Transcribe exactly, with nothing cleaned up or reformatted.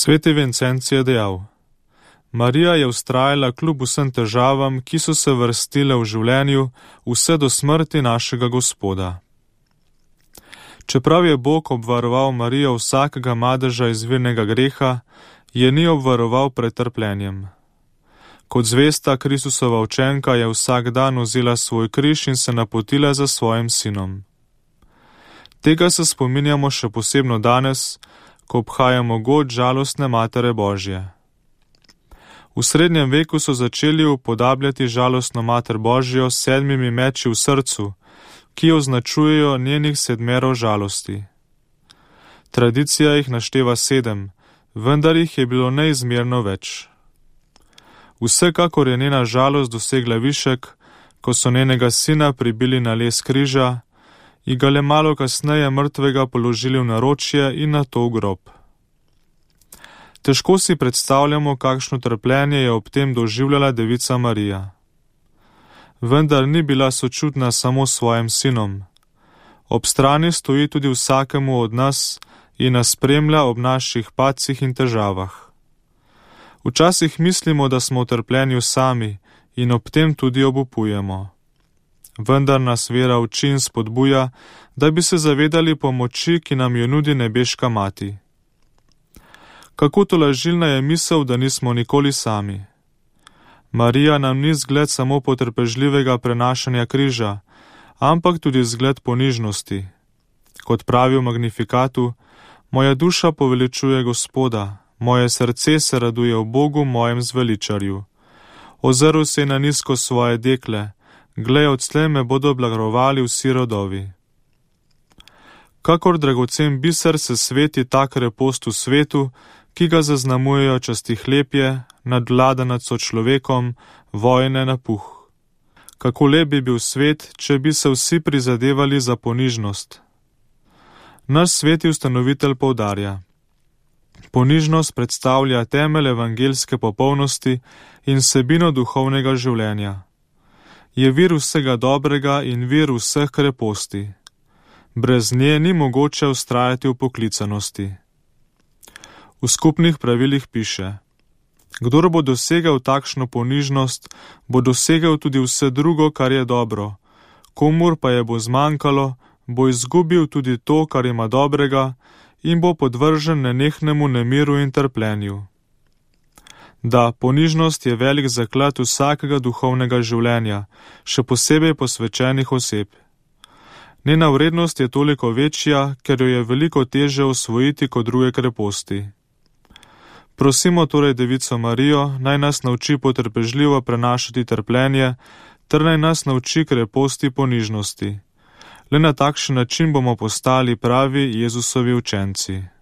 Sveti Vincenc je dejal: Marija je vztrajala kljub vsem težavam, ki so se vrstile v življenju, vse do smrti našega Gospoda. Čeprav je Bog obvaroval Marijo vsakega madeža izvirnega greha, je ni obvaroval pred trpljenjem. Kot zvesta Kristusova učenka je vsak dan vzela svoj križ in se napotila za svojim sinom. Tega se spominjamo še posebno danes, ko obhajamo god žalostne Matere Božje. V srednjem veku so začeli upodabljati žalostno Mater Božjo s sedmimi meči v srcu, ki označujejo njenih sedmerov žalosti. Tradicija jih našteva sedem, vendar jih je bilo neizmerno več. Vsekakor je njena žalost dosegla višek, ko so njenega sina pribili na les križa in ga le malo kasneje mrtvega položili v naročje in nato v grob. Težko si predstavljamo, kakšno trpljenje je ob tem doživljala devica Marija. Vendar ni bila sočutna samo svojim sinom. Ob strani stoji tudi vsakemu od nas in nas spremlja ob naših padcih in težavah. Včasih mislimo, da smo v trpljenju sami in ob tem tudi obupujemo. Vendar nas vera uči in spodbuja, da bi se zavedali pomoči, ki nam jo nudi nebeška mati. Kako tolažilna je misel, da nismo nikoli sami. Marija nam ni zgled samo potrpežljivega prenašanja križa, ampak tudi zgled ponižnosti. Kot pravi v Magnifikatu, moja duša poveličuje Gospoda, moje srce se raduje v Bogu, mojem zveličarju. Ozrl se je na nizko svoje dekle, glej, odslej me bodo blagrovali vsi rodovi. Kakor dragocen biser se sveti ta krepost v svetu, ki ga zaznamujejo častihlepje, nadvlada nad sočlovekom, vojne, napuh. Kako lep bi bil svet, če bi se vsi prizadevali za ponižnost. Naš sveti ustanovitelj poudarja: ponižnost predstavlja temelj evangeljske popolnosti in vsebino duhovnega življenja. Je vir vsega dobrega in vir vseh kreposti. Brez nje ni mogoče vztrajati v poklicanosti. V skupnih pravilih piše: kdor bo dosegel takšno ponižnost, bo dosegel tudi vse drugo, kar je dobro. Komur pa je bo zmanjkalo, bo izgubil tudi to, kar ima dobrega, in bo podvržen nenehnemu nemiru in trpljenju. Da, ponižnost je velik zaklad vsakega duhovnega življenja, še posebej posvečenih oseb. Njena vrednost je toliko večja, ker jo je veliko teže osvojiti kot druge kreposti. Prosimo torej Devico Marijo, naj nas nauči potrpežljivo prenašati trpljenje, ter naj nas nauči kreposti ponižnosti. Le na takšen način bomo postali pravi Jezusovi učenci.